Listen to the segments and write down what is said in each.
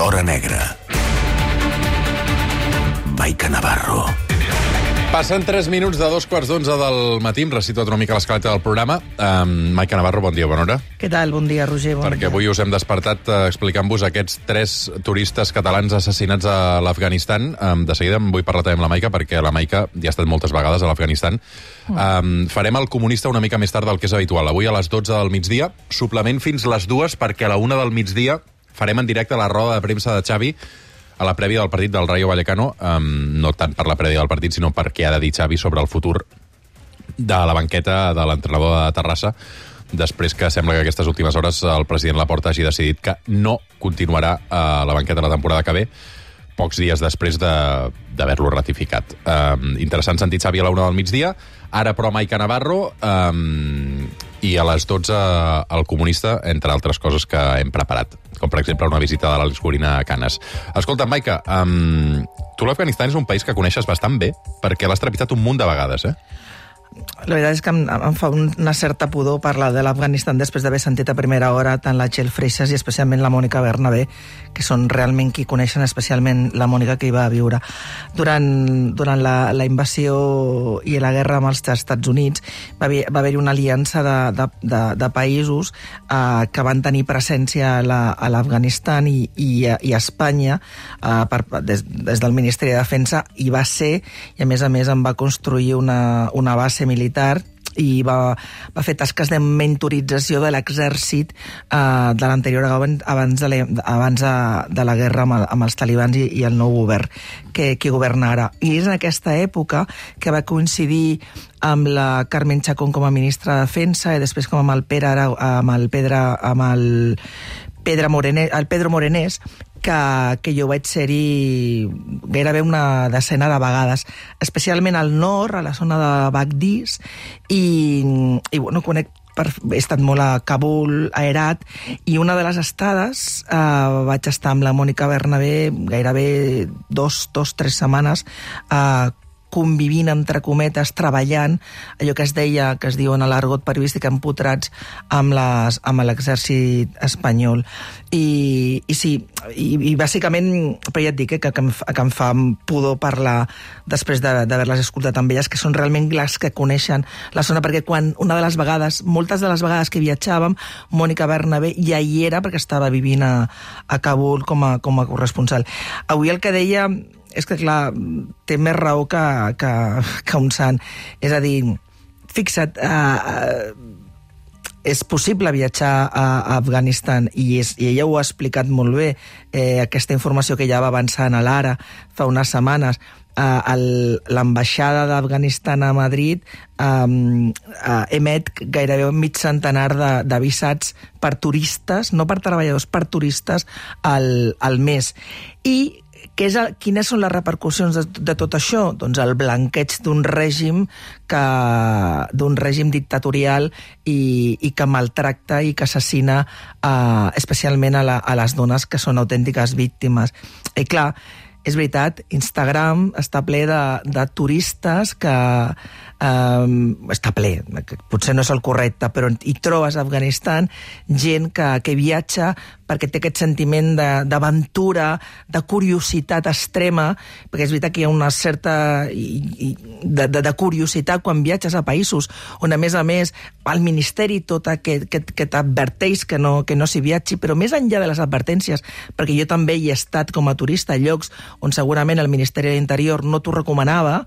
l'hora negra. Maica Navarro. Passen 3 minuts de 2:15 del matí. Em recito una mica l'escaleta del programa. Maica Navarro, bon dia, bona hora. Què tal? Bon dia, Roger. Bon Perquè dia. avui us hem despertat explicant-vos aquests 3 turistes catalans assassinats a l'Afganistan. De seguida em vull parlar també amb la Maica, perquè la Maica ja ha estat moltes vegades a l'Afganistan. Farem el comunista una mica més tard del que és habitual. Avui a les 12 del migdia, suplement fins les 2, perquè a la 1 del migdia farem en directe la roda de premsa de Xavi a la prèvia del partit del Rayo Vallecano, no tant per la prèvia del partit, sinó perquè ha de dir Xavi sobre el futur de la banqueta de l'entrenador de Terrassa, després que sembla que aquestes últimes hores el president Laporta hagi decidit que no continuarà a la banqueta la temporada que ve, pocs dies després d'haver-lo ratificat. Interessant sentir Xavi a la 1 del migdia, ara però Maica Navarro, i a les 12 el comunista, entre altres coses que hem preparat, com per exemple una visita de l'Àlex Gorina a Canes. Escolta, Maica, tu l'Afganistan és un país que coneixes bastant bé, perquè l'has trepitjat un munt de vegades, eh? La veritat és que em fa una certa pudor parlar de l'Afganistan després d'haver sentit a primera hora tant la Txell Freixas i especialment la Mònica Bernabé, que són realment qui coneixen, especialment la Mònica, que hi va viure. Durant la invasió i la guerra amb els Estats Units va haver-hi una aliança de països que van tenir presència a l'Afganistan i a Espanya des del Ministeri de Defensa, i va ser, i a més en va construir una base militar i va fer tasques de mentorització de l'exèrcit de l'anterior abans de la guerra amb els talibans i el nou govern que governa ara. I és en aquesta època que va coincidir amb la Carmen Chacón com a ministra de Defensa i després com amb el Pedro Morenés, que jo vaig ser-hi gairebé una decena de vegades, especialment al nord, a la zona de Bagdís, i bueno, he estat molt a Kabul, a Herat, i una de les estades vaig estar amb la Mònica Bernabé gairebé 2-3 setmanes convivint, entre cometes, treballant, allò que es diu en l'argot periodístic, empotrats amb l'exèrcit espanyol. I bàsicament, però ja et dic que em fa pudor parlar després d'haver-les escoltat amb elles, que són realment les que coneixen la zona, perquè moltes de les vegades que viatjàvem, Mònica Bernabé ja hi era perquè estava vivint a Kabul com a corresponsal. Avui el que deia és que, clar, té més raó que un sant. És a dir, fixa't, és possible viatjar a Afganistan i ella ho ha explicat molt bé, aquesta informació que ja va avançar a l'Ara fa unes setmanes. L'ambaixada d'Afganistan a Madrid emet gairebé mig centenar de visats per turistes, no per treballadors, per turistes al mes. I quines són les repercussions de tot això? Doncs el blanqueig d'un règim dictatorial i que maltracta i que assassina especialment a les dones, que són autèntiques víctimes. I clar, és veritat, Instagram està ple de turistes que està ple, potser no és el correcte, però hi trobes a Afganistan gent que viatja perquè té aquest sentiment d'aventura, de curiositat extrema, perquè és veritat que hi ha una certa de curiositat quan viatges a països on, a més, el Ministeri tot que t'adverteix que no s'hi viatgi, però més enllà de les advertències, perquè jo també hi he estat com a turista a llocs on segurament el Ministeri de l'Interior no t'ho recomanava,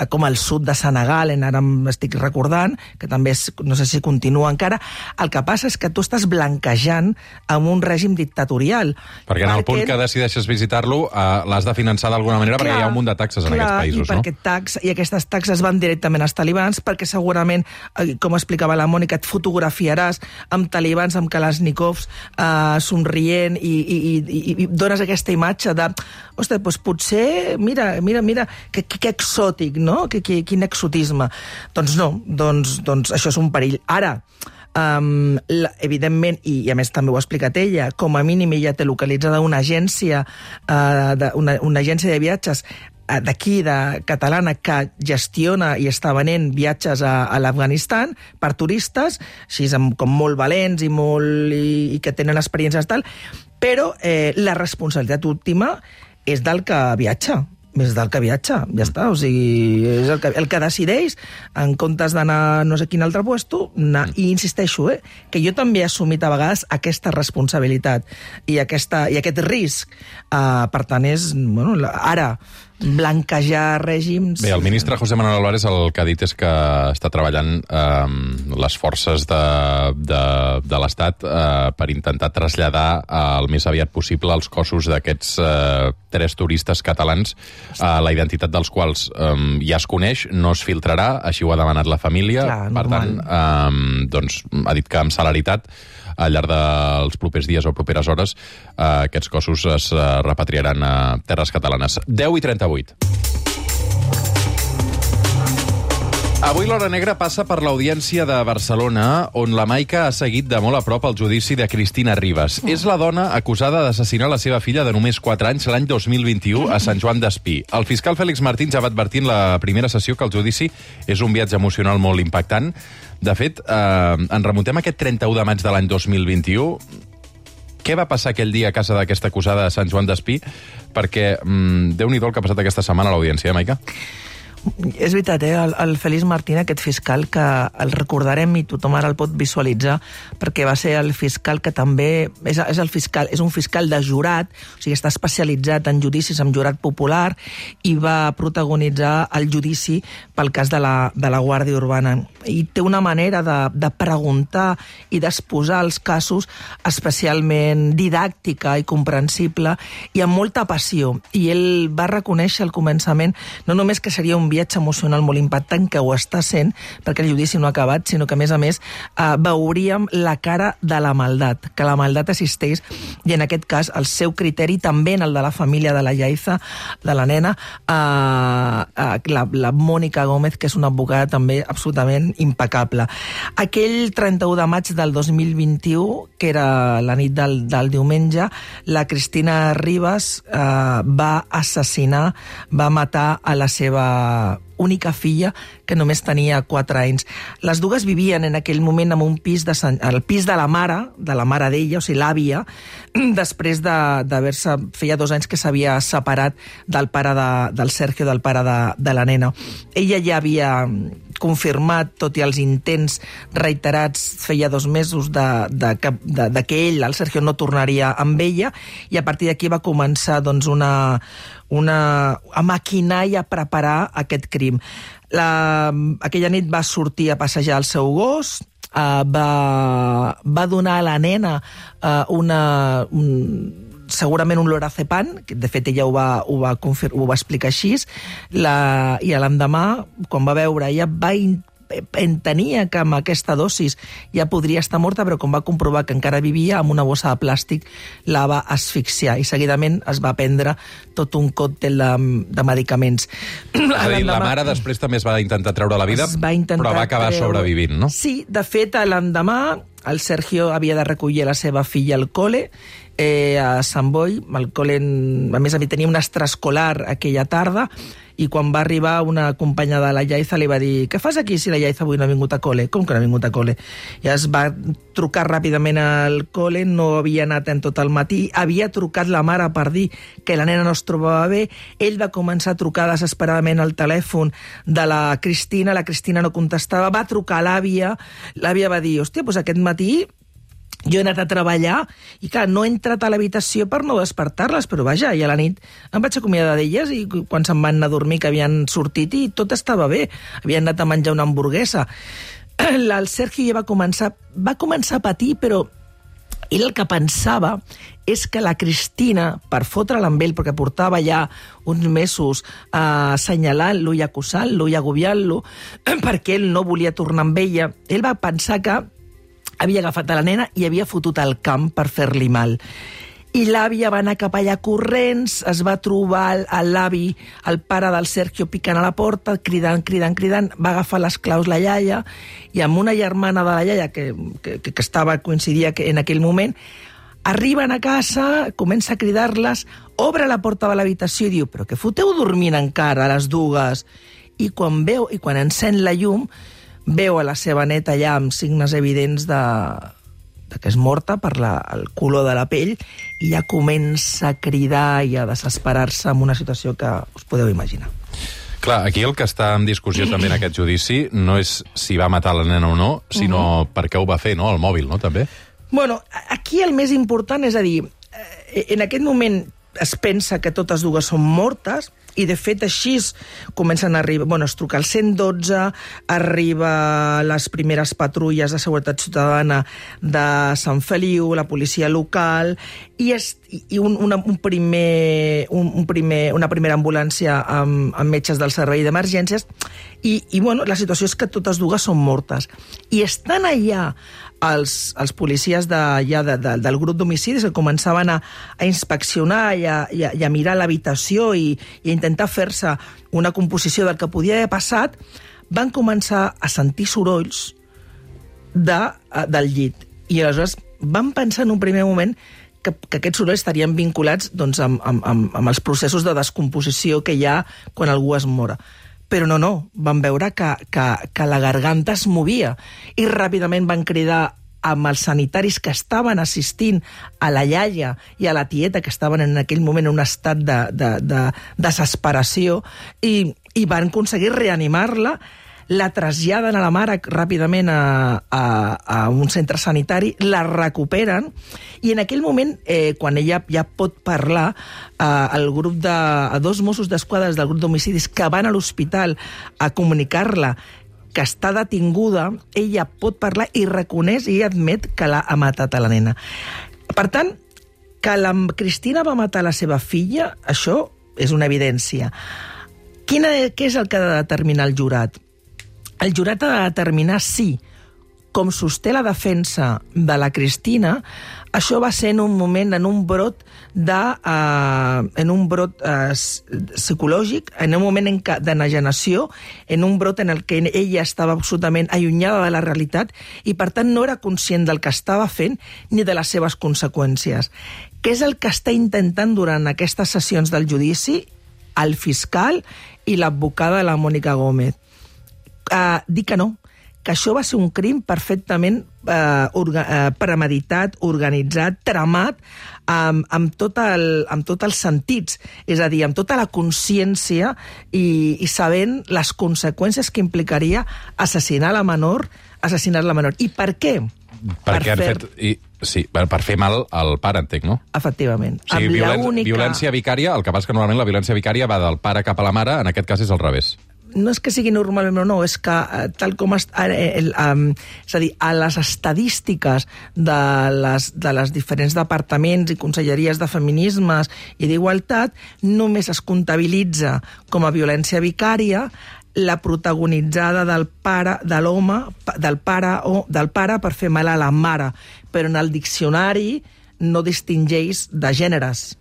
com al sud de Senegal, ara m'estic recordant, que també no sé si continua encara. El que passa és que tu estàs blanquejant amb un règim dictatorial. Perquè en el punt que decideixes visitar-lo l'has de finançar d'alguna manera, perquè hi ha un munt de taxes en aquests països, no? I aquestes taxes van directament als talibans, perquè segurament, com explicava la Mònica, et fotografiaràs amb talibans, amb kalashnikovs, somrient, i dones aquesta imatge de, ostres, doncs potser, mira, que exòtic, no? Quin exotisme. Doncs no, doncs això és un perill. Ara, evidentment, i a més també ho ha explicat ella, com a mínim ella té localitzada una agència de viatges d'aquí, de catalana, que gestiona i està venent viatges a l'Afganistan per turistes, així com molt valents i que tenen experiències tal, però la responsabilitat última és del que viatja. Més del que viatja, ja està. O sigui, és el que decideix, en comptes d'anar a no sé quin altre puesto, i insisteixo, que jo també he assumit a vegades aquesta responsabilitat i aquest risc. Per tant, és, bueno, ara, blanquejar règims... Bé, el ministre José Manuel Álvarez el que ha dit és que està treballant les forces de l'Estat per intentar traslladar el més aviat possible els cossos d'aquests 3 turistes catalans, la identitat dels quals ja es coneix, no es filtrarà, així ho ha demanat la família. Clar, per tant, doncs, ha dit que amb celeritat al llarg dels propers dies o properes hores aquests cossos es repatriaran a terres catalanes. 10:38. Avui l'Hora Negra passa per l'Audiència de Barcelona, on la Maica ha seguit de molt a prop el judici de Cristina Ribas. És la dona acusada d'assassinar la seva filla de només 4 anys l'any 2021 a Sant Joan d'Espí. El fiscal Fèlix Martín ja va advertir en la primera sessió que el judici és un viatge emocional molt impactant. De fet, ens remuntem a aquest 31 de maig de l'any 2021. Què va passar aquell dia a casa d'aquesta acusada a Sant Joan d'Espí? Perquè Déu-n'hi-do el que ha passat aquesta setmana a l'Audiència, Maica? És veritat, el Fèlix Martín, aquest fiscal, que el recordarem i tothom ara el pot visualitzar, perquè va ser el fiscal que també és un fiscal de jurat, o sigui, està especialitzat en judicis amb jurat popular, i va protagonitzar el judici pel cas de la Guàrdia Urbana. I té una manera de preguntar i d'exposar els casos especialment didàctica i comprensible i amb molta passió. I ell va reconèixer al començament no només que seria un viatge emocional molt impactant, que ho està sent, perquè el judici no ha acabat, sinó que, a més, veuríem la cara de la maldat, que la maldat assisteix, i en aquest cas el seu criteri, també en el de la família de la Yaiza, de la nena, la Mònica Gómez, que és una advocada també absolutament impecable. Aquell 31 de maig del 2021, que era la nit del diumenge, la Cristina Ribas va assassinar, va matar a la seva única filla, que només tenia 4 anys. Les dues vivien en aquell moment en un pis el pis de la mare d'ella, o sigui, l'àvia, després d'haver-se... Feia 2 anys que s'havia separat del pare del Sergio, del pare de la nena. Ella ja havia confirmat, tot i els intents reiterats, feia 2 mesos que ell, el Sergio, no tornaria amb ella, i a partir d'aquí va començar doncs, a maquinar i a preparar aquest crim. Aquella nit va sortir a passejar el seu gos, va donar a la nena segurament un lorazepam, que de fet ella ho va explicar així, i l'endemà, quan va veure, ella entenia que amb aquesta dosis ja podria estar morta, però com va comprovar que encara vivia, amb una bossa de plàstic la va asfixiar, i seguidament es va prendre tot un còctel de medicaments. És a dir, la mare després també es va intentar treure la vida, però va acabar sobrevivint, no? Sí, de fet, l'endemà el Sergio havia de recollir la seva filla al col·le, a Sant Boi. El col·le, a més, tenia un extraescolar aquella tarda, i quan va arribar una companya de la Yaiza li va dir: què fas aquí si la Yaiza avui no ha vingut a col·le? Com que no ha vingut a col·le? I es va trucar ràpidament al col·le, no havia anat en tot el matí, havia trucat la mare per dir que la nena no es trobava bé, ell va començar a trucar desesperadament al telèfon de la Cristina no contestava, va trucar a l'àvia va dir: hòstia, doncs aquest matí jo he anat a treballar i, clar, no he entrat a l'habitació per no despertar-les, però vaja, i a la nit em vaig acomiadar d'elles, i quan se'n van anar a dormir que havien sortit i tot estava bé, havien anat a menjar una hamburguesa. El Sergio ja va començar a patir, però ell el que pensava és que la Cristina, per fotre'l amb ell, perquè portava ja uns mesos assenyalant-lo i acusant-lo i agobiant-lo, perquè ell no volia tornar amb ella, ell va pensar que havia agafat a la nena i havia fotut al camp per fer-li mal. I l'àvia va anar cap allà corrents, es va trobar l'avi, el pare del Sergio, picant a la porta, cridant, va agafar les claus la iaia, i amb una germana de la iaia que coincidia en aquell moment, Arriben a casa, comença a cridar-les, obre la porta de l'habitació i diu, però què foteu dormint encara a les dues? I quan encén la llum, veu a la seva neta allà amb signes evidents de que és morta per el color de la pell, i ja comença a cridar i a desesperar-se en una situació que us podeu imaginar. Clar, aquí el que està en discussió també en aquest judici no és si va matar la nena o no, sinó per què ho va fer, no? El mòbil, no? També? Bueno, aquí el més important és a dir, en aquest moment es pensa que totes dues són mortes, i de fet així comencen a arribar, bueno, es truca al 112, arriba les primeres patrulles de seguretat ciutadana de Sant Feliu, la policia local, i una primera ambulància amb metges del servei d'emergències, i bueno, la situació és que totes dues són mortes. I estan allà els policies del grup d'homicidis que començaven a inspeccionar i a mirar l'habitació i a intentar fer-se una composició del que podia haver passat, van començar a sentir sorolls del llit. I aleshores van pensar en un primer moment que aquests sorolls estarien vinculats doncs, amb els processos de descomposició que hi ha quan algú es mora. Però no, van veure que la garganta es movia i ràpidament van cridar amb els sanitaris que estaven assistint a la iaia i a la tieta, que estaven en aquell moment en un estat de desesperació, i van aconseguir reanimar-la, la traslladen a la mare ràpidament a un centre sanitari, la recuperen, i en aquell moment, quan ella ja pot parlar, el grup a 2 Mossos d'Esquadra del grup d'homicidis que van a l'hospital a comunicar-la que està detinguda, ella pot parlar i reconeix i admet que l'ha matat a la nena. Per tant, que la Cristina va matar la seva filla, això és una evidència. Què és el que ha de determinar el jurat? El jurat ha de determinar si, com sosté la defensa de la Cristina, això va ser en un moment, en un brot psicològic, en un moment d'enajenació, en un brot en el que ella estava absolutament allunyada de la realitat i, per tant, no era conscient del que estava fent ni de les seves conseqüències. Què és el que està intentant durant aquestes sessions del judici el fiscal i l'advocada de la Mònica Gómez? Dir que no, que això va ser un crim perfectament premeditat, organitzat, tramat, amb tots els sentits, és a dir, amb tota la consciència i sabent les conseqüències que implicaria assassinar-la menor. I per què? Per fer mal al pare, entenc, no? Efectivament. O sigui, violència vicària, el que passa que normalment la violència vicària va del pare cap a la mare, en aquest cas és al revés. No és que sigui normalment o no, és que tal com és a dir, a les estadístiques de les diferents departaments i conselleries de feminismes i d'igualtat, només es comptabilitza com a violència vicària la protagonitzada del pare per fer mal a la mare, però en el diccionari no distingeix de gèneres.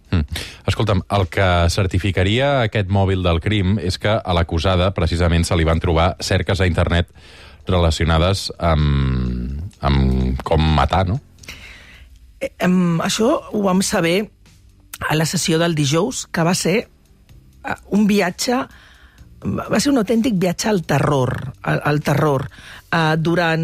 Escolta'm, el que certificaria aquest mòbil del crim és que a l'acusada precisament se li van trobar cerques a internet relacionades amb com matar, no? Això ho vam saber a la sessió del dijous, que va ser un viatge, va ser un autèntic viatge al terror. Durant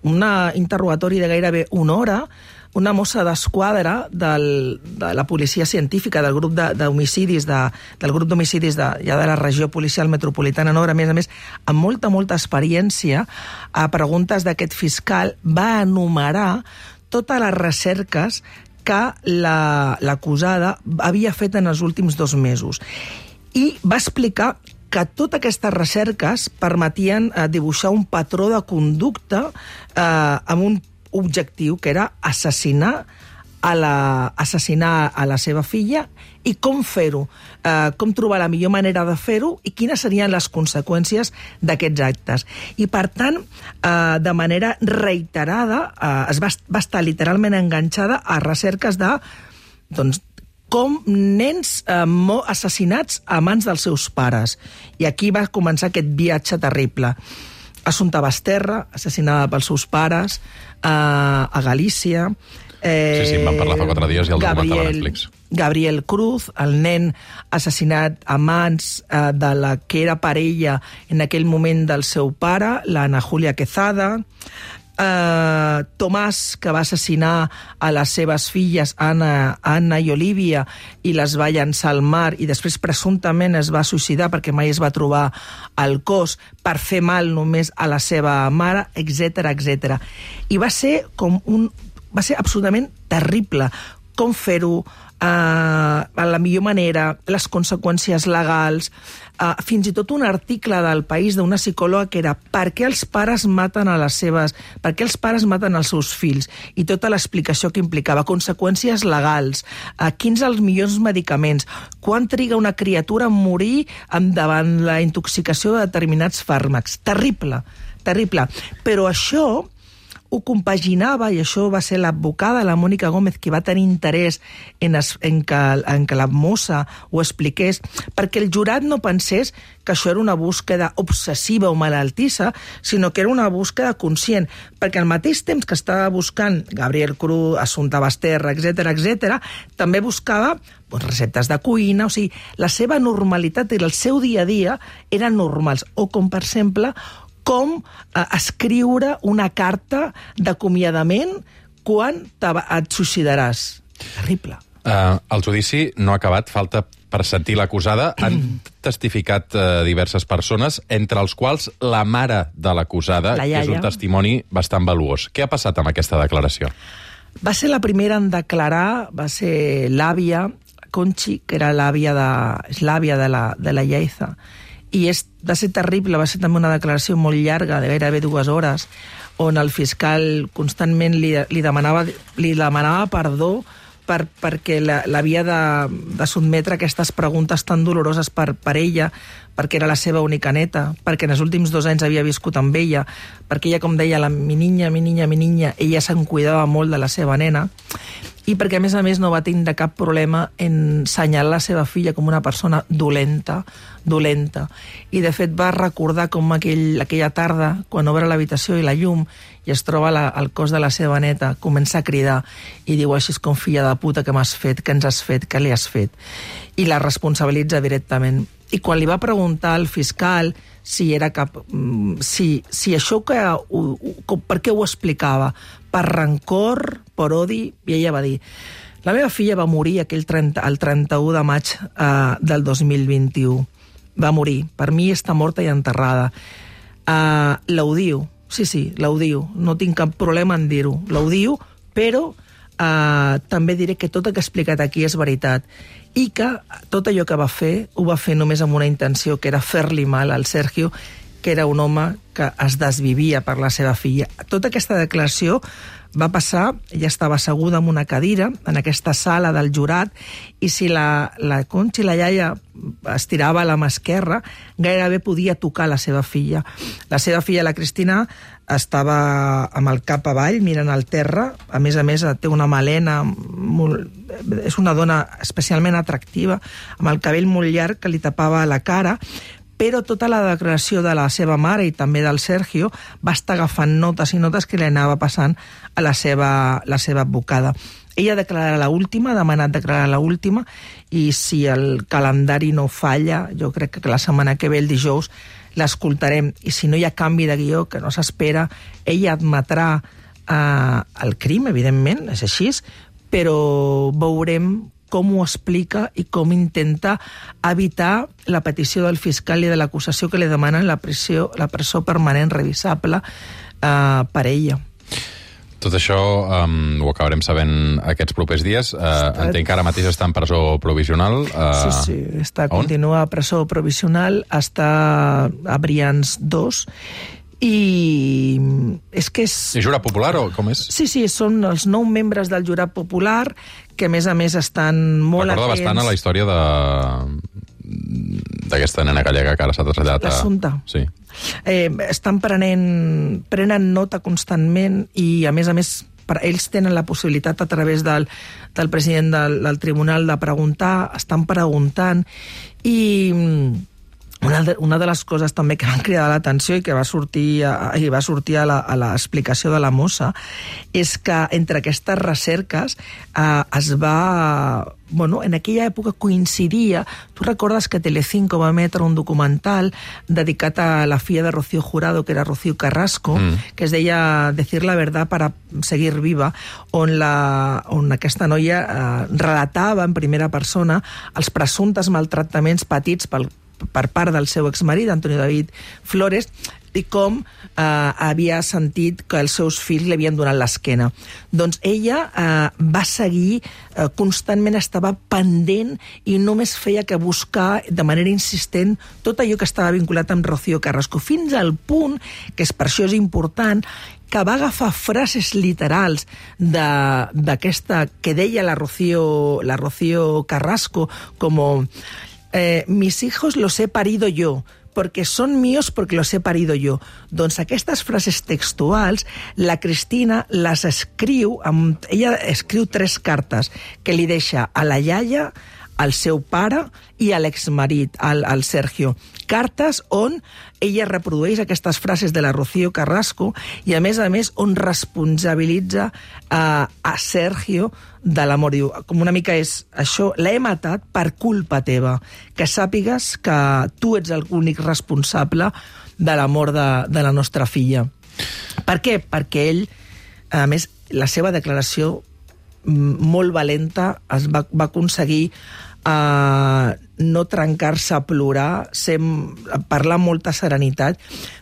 un interrogatori de gairebé una hora, una mossa d'esquadra de la policia científica del grup d'homicidis del grup d'homicidis ja de la regió policial metropolitana nord, a més, amb molta experiència, a preguntes d'aquest fiscal, va enumerar totes les recerques que l'acusada havia fet en els últims 2 mesos. I va explicar que totes aquestes recerques permetien dibuixar un patró de conducta amb un objectiu, que era assassinar a la seva filla, i com fer-ho, com trobar la millor manera de fer-ho i quines serien les conseqüències d'aquests actes. I, per tant, de manera reiterada, va estar literalment enganxada a recerques de com nens assassinats a mans dels seus pares. I aquí va començar aquest viatge terrible. Assumpta Basterra, assassinada pels seus pares, a Galícia, Sí, em van parlar fa 4 dies i el documental a Netflix. Gabriel Cruz, el nen assassinat a mans de la que era parella en aquell moment del seu pare, l'Ana Julia Quezada, Tomàs, que va assassinar a les seves filles, Anna i Olivia, i les va llançar al mar, i després presumptament es va suïcidar perquè mai es va trobar el cos, per fer mal només a la seva mare, etc etc. I va ser absolutament terrible com fer-ho, a la millor manera, les conseqüències legals, fins i tot un article del País d'una psicòloga que era per què els pares maten els seus fills, i tota l'explicació que implicava, conseqüències legals, quins els millors medicaments, quan triga una criatura a morir davant la intoxicació de determinats fàrmacs. Terrible, terrible. Però això ho compaginava, i això va ser l'advocada, la Mònica Gómez, qui va tenir interès en que la mossa ho expliqués, perquè el jurat no pensés que això era una búsqueda obsessiva o malaltissa, sinó que era una búsqueda conscient, perquè al mateix temps que estava buscant Gabriel Cruz, Assumpta Basterra, etc., també buscava receptes de cuina, o sigui, la seva normalitat i el seu dia a dia eren normals, o com, per exemple, com escriure una carta d'acomiadament quan et suïcidaràs. Terrible. El judici no ha acabat, falta per sentir l'acusada. Han testificat diverses persones, entre els quals la mare de l'acusada, que és un testimoni bastant valuós. Què ha passat amb aquesta declaració? Va ser la primera en declarar, va ser l'àvia, Conchi, que era l'àvia de la Lleida. I va ser terrible, va ser també una declaració molt llarga, de gairebé 2 hores, on el fiscal constantment li demanava perdó perquè l'havia de sotmetre a aquestes preguntes tan doloroses per ella, perquè era la seva única neta, perquè en els últims 2 anys havia viscut amb ella, perquè ella, com deia, mi niña, ella se'n cuidava molt de la seva nena, i perquè, a més, no va tindre cap problema en senyalar la seva filla com una persona dolenta. I, de fet, va recordar com aquella tarda, quan obre l'habitació i la llum, i es troba el cos de la seva neta, comença a cridar i diu així com filla de puta, que m'has fet, que ens has fet, que li has fet. I la responsabilitza directament. I quan li va preguntar al fiscal si era si això per què ho explicava? Per rancor, per odi? I ella va dir: la meva filla va morir el 31 de maig del 2021. Va morir. Per mi està morta i enterrada. L'odio. Sí, l'odio. No tinc cap problema en dir-ho. L'odio, però també diré que tot el que he explicat aquí és veritat, i que tot allò que va fer ho va fer només amb una intenció, que era fer-li mal al Sergio, que era un home que es desvivia per la seva filla. Tota aquesta declaració va passar, ella estava asseguda en una cadira, en aquesta sala del jurat, i si la Conchi, la iaia, estirava la mà esquerra, gairebé podia tocar la seva filla. La seva filla, la Cristina, estava amb el cap avall, mirant al terra. A més, té una melena, és una dona especialment atractiva, amb el cabell molt llarg que li tapava la cara, però tota la declaració de la seva mare i també del Sergio va estar agafant notes i notes que li anava passant a la seva advocada. Ella declararà l'última, ha demanat declarar l'última, i si el calendari no falla, jo crec que la setmana que ve, el dijous, l'escoltarem. I si no hi ha canvi de guió, que no s'espera, ella admetrà el crim, evidentment, és així, però veurem com ho explica i com intenta evitar la petició del fiscal i de l'acusació que li demanen la presó permanent revisable per ella. Tot això ho acabarem sabent aquests propers dies. Entenc que ara mateix està en presó provisional. Sí, continua a presó provisional, està a Brians 2, i és que és... És jurat popular o com és? Sí, són els 9 membres del jurat popular, que a més estan molt atents... Recorda bastant a la història d'aquesta nena gallega que ara s'ha traslladat a... L'Assumpta. Sí. Prenen nota constantment, i a més ells tenen la possibilitat a través del president del tribunal de preguntar, estan preguntant, i Una de les coses també que van cridar l'atenció i que va sortir a l'explicació de la mossa és que entre aquestes recerques es va... Bueno, en aquella època coincidia... Tu recordes que Telecinco va emetre un documental dedicat a la filla de Rocío Jurado, que era Rocío Carrasco, que es deia Decir la verdad para seguir viva, on aquesta noia relatava en primera persona els presumptes maltractaments patits per part del seu exmarit, Antonio David Flores, i com havia sentit que els seus fills li havien donat l'esquena. Doncs ella va seguir, constantment estava pendent i només feia que buscar de manera insistent tot allò que estava vinculat amb Rocío Carrasco, fins al punt, que per això és important, que va agafar frases literals d'aquesta que deia la Rocío Carrasco, com mis hijos los he parido yo, porque son míos porque los he parido yo. Doncs aquestes frases textuals, la Cristina les escriu, ella escriu 3 cartes que li deixa a la iaia, al seu pare i a l'exmarit, al Sergio. Cartes on ella reprodueix aquestes frases de la Rocío Carrasco i, a més, on responsabilitza a Sergio de l'amor. Diu, com una mica és això, l'he matat per culpa teva, que sàpigues que tu ets l'únic responsable de l'amor de la nostra filla. Per què? Perquè ell, a més, la seva declaració molt valenta va aconseguir no trencar-se a plorar, parlar amb molta serenitat,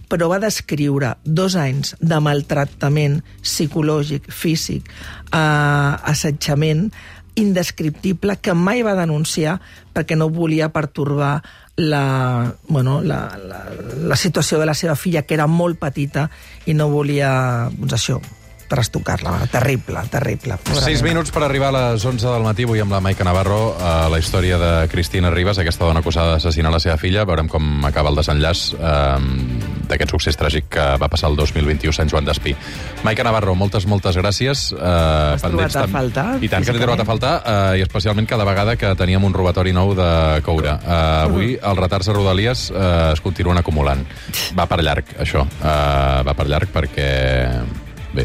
però va descriure 2 anys de maltractament psicològic, físic, assetjament indescriptible que mai va denunciar perquè no volia pertorbar la situació de la seva filla, que era molt petita, i no volia, doncs això, trastocar-la. Terrible. 6 minuts per arribar a les 11 del matí, avui amb la Maica Navarro, la història de Cristina Ribas, aquesta dona acusada d'assassinar la seva filla. Veurem com acaba el desenllaç d'aquest succés tràgic que va passar el 2021 a Sant Joan d'Espí. Maica Navarro, moltes gràcies. Has trobat a faltar? I tant que t'he trobat a faltar, i especialment cada vegada que teníem un robatori nou de coure. Avui els retards a Rodalies es continuen acumulant. Va per llarg, això. Va per llarg perquè... Bé,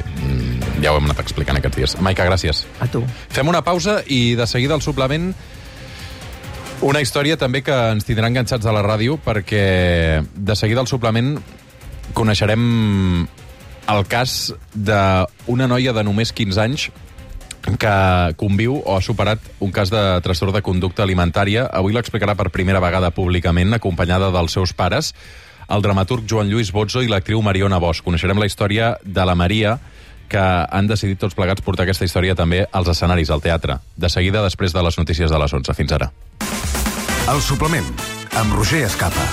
ja ho hem anat explicant aquests dies. Maica, gràcies. A tu. Fem una pausa i de seguida al suplement una història també que ens tindrà enganxats a la ràdio, perquè de seguida al suplement coneixerem el cas d'una noia de només 15 anys que conviu o ha superat un cas de trastorn de conducta alimentària. Avui l'explicarà per primera vegada públicament, acompanyada dels seus pares, el dramaturg Joan Lluís Bozzo i l'actriu Mariona Bosch. Coneixerem la història de la Maria, que han decidit tots plegats portar aquesta història també als escenaris, al teatre. De seguida, després de les notícies de les 11. Fins ara. El suplement, amb Roger Escapa.